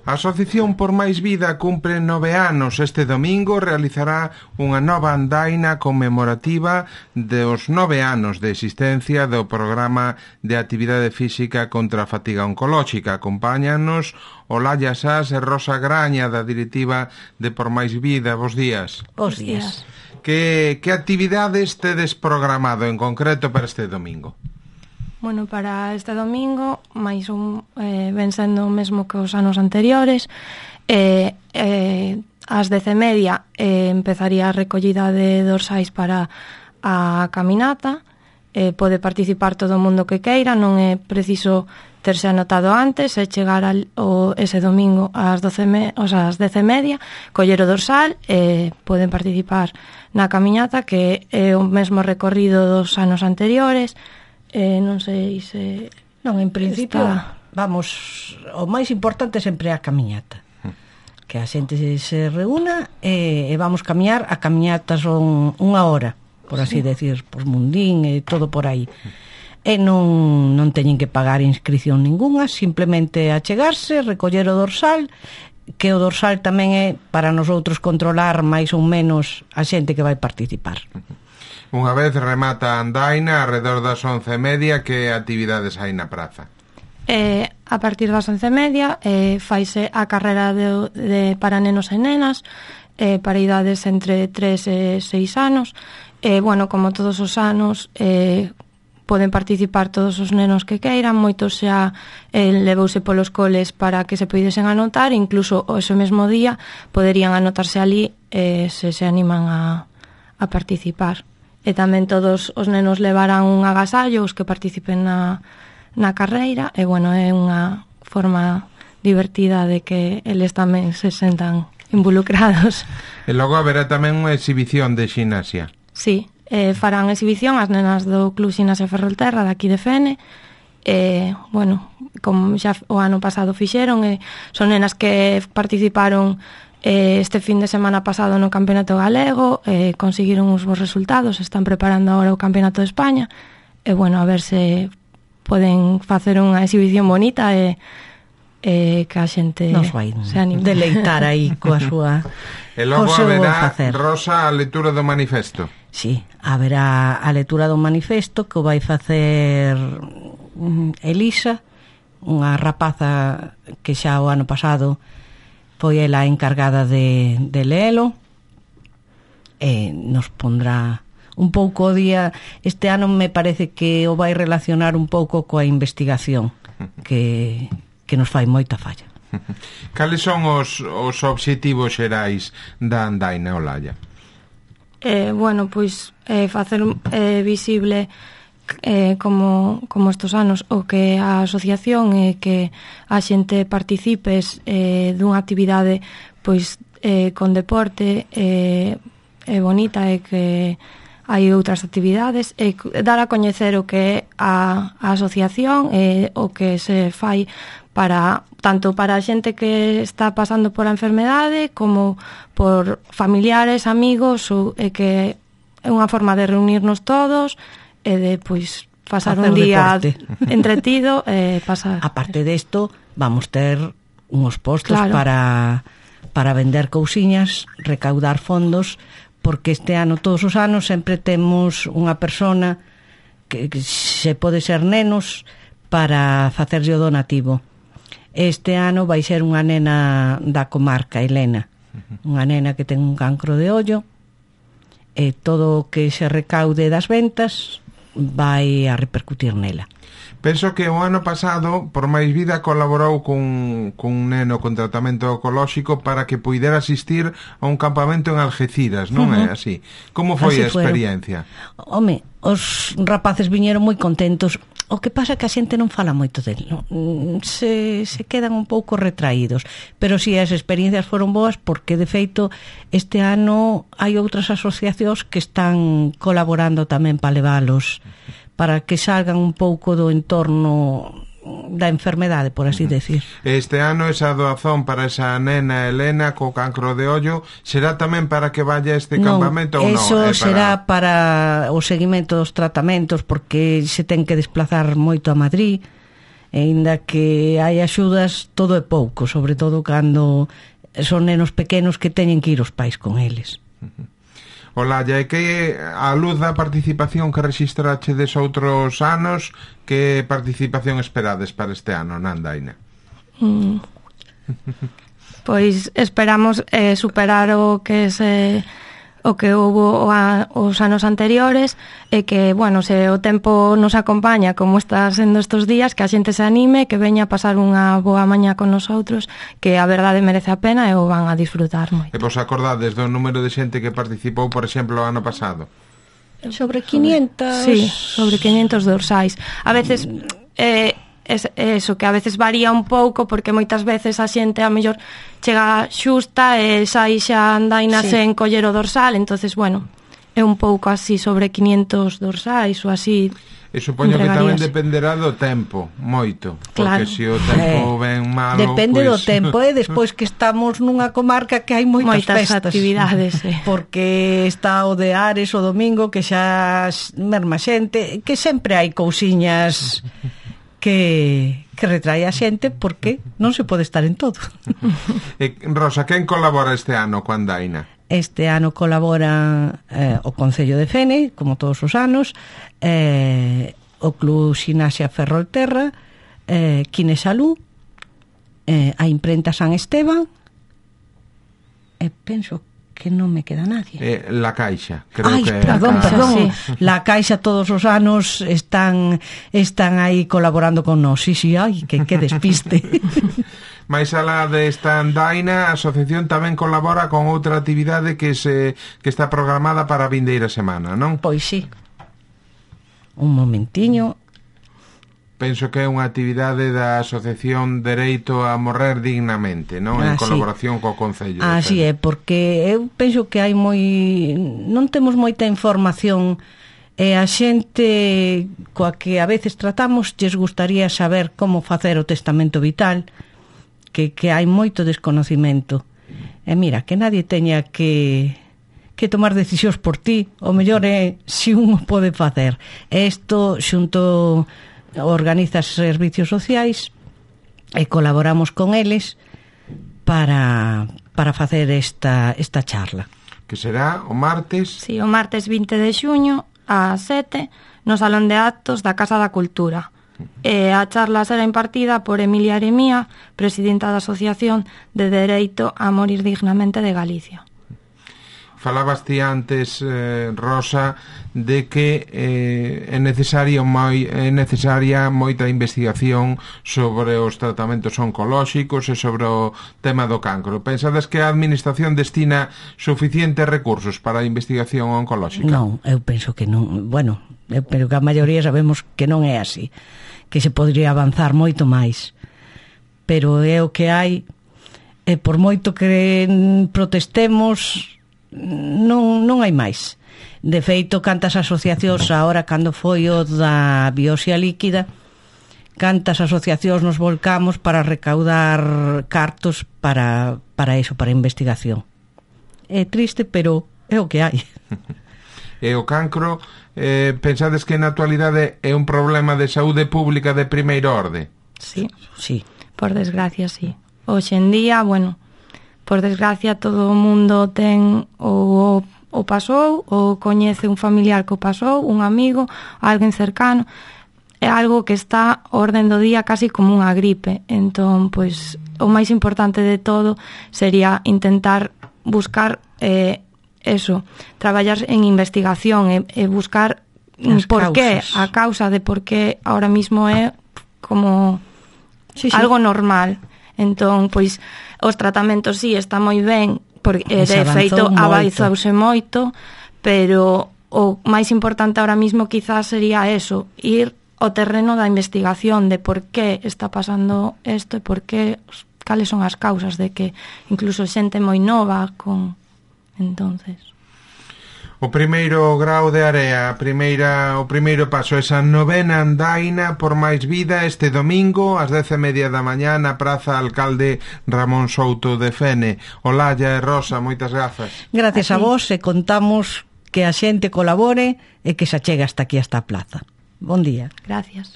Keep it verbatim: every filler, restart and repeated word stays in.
A Asociación por Máis Vida cumpre nove anos. Este domingo realizará unha nova andaina conmemorativa dos nove anos de existencia do programa de actividade física contra a fatiga oncolóxica. Acompáñanos Olalla Sás e Rosa Graña, da directiva de Por Máis Vida. Bos días. Bos días. Que, que actividades tedes programado en concreto para este domingo? Bueno, para este domingo, máis un, eh, ven sendo o mesmo que os anos anteriores, eh, eh, ás dez e media eh, empezaría a recollida de dorsais para a caminata. Eh, pode participar todo o mundo que queira, non é preciso terse anotado antes, é chegar al, o, ese domingo ás, doce me, o sea, ás dez e media, coller o dorsal, e eh, poden participar na caminata, que é o mesmo recorrido dos anos anteriores. Eh, non sei se... Non, en principio, está... vamos, o máis importante sempre é a camiñata. Que a xente se, se reúna e, e vamos camiñar. A camiñata son unha hora, por así sí. decir, por Mundín e todo por aí. E non, non teñen que pagar inscripción ninguna, simplemente achegarse, recoller o dorsal, que o dorsal tamén é para nosotros controlar máis ou menos a xente que vai participar. Unha vez remata a andaina, alrededor das once e media, que actividades hai na praza? Eh, a partir das once e media eh, faise a carrera de, de para nenos e nenas, eh, para idades entre tres e seis anos. Eh, bueno, como todos os anos, eh, poden participar todos os nenos que queiran. Moitos xa eh, levouse polos coles para que se poidesen anotar, incluso ese mesmo día poderían anotarse ali eh, se se animan a, a participar. E tamén todos os nenos levarán un agasallo, os que participen na, na carreira, e bueno, é unha forma divertida de que eles tamén se sentan involucrados. E logo haberá tamén unha exhibición de ximnasia. Sí, eh, farán exhibición as nenas do Club Ximnasia Ferrolterra daqui de Fene. E, bueno, como xa o ano pasado fixeron, e son nenas que participaron este fin de semana pasado no Campeonato Galego, eh, conseguiron uns bons resultados, están preparando agora o Campeonato de España, e bueno, a ver se poden facer unha exhibición bonita e, e que a xente nos vai se anime. Deleitar aí coa súa... E logo haberá, Rosa, a lectura do manifesto. Sí, haberá a lectura do manifesto que o vai facer Elisa, unha rapaza que xa o ano pasado foi ela encargada de, de leelo, e nos pondrá un pouco o día. Este ano me parece que o vai relacionar un pouco coa investigación que, que nos fai moita falla. Cales son os, os obxectivos xerais da andaina, Olalla? Eh, bueno, pois eh, facer eh, visible Eh, como, como estos anos o que a asociación e eh, que a xente participes eh, dunha actividade pois eh, con deporte eh, é bonita, e que hai outras actividades, e dar a coñecer o que é a, a asociación e o que se fai para tanto para a xente que está pasando por a enfermedade como por familiares, amigos, ou, e que é unha forma de reunirnos todos e de, pois, pasar un día deporte entretido e eh, pasar... Aparte desto, vamos ter uns postos claro. para para vender cousiñas, recaudar fondos, porque este ano, todos os anos, sempre temos unha persona que, que se pode ser nenos para facerlle o donativo. Este ano vai ser unha nena da comarca, Elena, unha nena que ten un cancro de ollo, e todo o que se recaude das ventas vai a repercutir nela. Penso que o ano pasado Por Máis Vida colaborou cun, cun neno con tratamento oncolóxico para que puidera asistir a un campamento en Algeciras, non uh-huh. é así? Como foi así a experiencia? Fueron. Home, os rapaces viñeron moi contentos. O que pasa é que a xente non fala moito del, non? Se, se quedan un pouco retraídos, pero si as experiencias foron boas, porque de feito este ano hai outras asociacións que están colaborando tamén para leválos, para que salgan un pouco do entorno da enfermedade, por así decir. Este ano esa doazón para esa nena Elena co cancro de ollo será tamén para que vaya a este non, campamento ou non? Eso será para... para o seguimento dos tratamentos, porque se ten que desplazar moito a Madrid, E aínda que hai axudas, todo é pouco, sobre todo cando son nenos pequenos que teñen que ir os pais con eles. Ola, e que a luz da participación que registrachedes outros anos, que participación esperades para este ano na andaina? Mm. Pois esperamos eh, superar o que se o que houbo a, os anos anteriores e que, bueno, se o tempo nos acompaña como está sendo estes días, que a xente se anime, que veña a pasar unha boa mañá con nosotros, que a verdade merece a pena e o van a disfrutar moito. E vos acordades do número de xente que participou, por exemplo, o ano pasado? Sobre quinientos... Sí, sobre quinientos dorsais. A veces... Eh, es eso, que a veces varía un pouco porque moitas veces a xente a mellor chega xusta e sai xa andaina sí. sen coller o dorsal, entonces bueno, é un pouco así sobre quinientos dorsais ou así. E supoño que tamén dependerá do tempo, moito, porque claro. se o tempo eh, ven malo, depende pues... do tempo, e eh, despois que estamos nunha comarca que hai moitas, moitas festas, actividades, eh. porque está o de Ares o domingo que xa merma xente, que sempre hai cousiñas que, que retrae a xente porque non se pode estar en todo. E, Rosa, quen colabora este ano coa andaina? Este ano colabora eh, o Concello de Fene, como todos os anos, eh, o Club Xinasia Ferrolterra, eh, Quinesalú, eh, a Imprenta San Esteban, e penso que non me queda nadie. Eh, la Caixa, creo Ay, que perdón, Caixa, perdón. sí. La Caixa todos os anos están están aí colaborando con nós. Sí, sí, ai, que, que despiste. Mais alá desta andaina, a asociación tamén colabora con outra actividade que se que está programada para a vindeira semana, non? Pois sí. Un momentiño. Penso que é unha actividade da Asociación Dereito a Morrer Dignamente, non? En Ah, colaboración sí. co Concello. Así é, porque eu penso que hai moi... non temos moita información e a xente coa que a veces tratamos lles gustaría saber como facer o testamento vital, que, que hai moito desconocimento. E mira, que nadie teña que... que tomar decisións por ti, o mellor é se un o pode facer. Isto xunto organiza servicios sociais e colaboramos con eles para para facer esta esta charla. Que será o martes? Sí, o martes vinte de xuño ás sete no Salón de Actos da Casa da Cultura. E a charla será impartida por Emilia Aremía, presidenta da Asociación de Dereito a Morir Dignamente de Galicia. Falabas ti antes, eh, Rosa, de que eh, é necesaria moi, é necesaria moita investigación sobre os tratamentos oncolóxicos e sobre o tema do cancro. Pensades que a Administración destina suficientes recursos para a investigación oncolóxica? Non, eu penso que non. Bueno, eu pero que a maioría sabemos que non é así, que se podría avanzar moito máis. Pero é o que hai, e por moito que protestemos, non, non hai máis. De feito, cantas asociacións agora cando foi o da biopsia líquida, cantas asociacións nos volcamos para recaudar cartos para, para eso, para investigación. É triste, pero é o que hai. E o cancro, eh, pensades que na actualidade é un problema de saúde pública de primeira orde? Sí, sí. Por desgracia, sí. Hoxe en día, bueno, por desgracia todo o mundo ten o, o pasou, ou coñece un familiar que o pasou, un amigo, alguén cercano. É algo que está a orden do día casi como unha gripe. Entón, pois, o máis importante de todo sería intentar buscar eh, eso, traballar en investigación e, e buscar As por qué, causas. a causa de por qué ahora mismo é como Sí, sí. algo normal. Entón, pois, os tratamentos sí, está moi ben, porque eh, de feito avanzouse moito, pero o máis importante ahora mismo quizás sería eso, ir ao terreno da investigación de por qué está pasando isto e por qué, cales son as causas de que incluso xente moi nova con... entonces... O primeiro grao de Area, a primeira, o primeiro paso, esa novena andaina por máis vida este domingo ás dez e media da mañá na Praza Alcalde Ramón Souto de Fene. Olalla e Rosa, moitas grazas. Gracias a vos, e contamos que a xente colabore e que se achegue hasta aquí, hasta a plaza. Bon día. Gracias.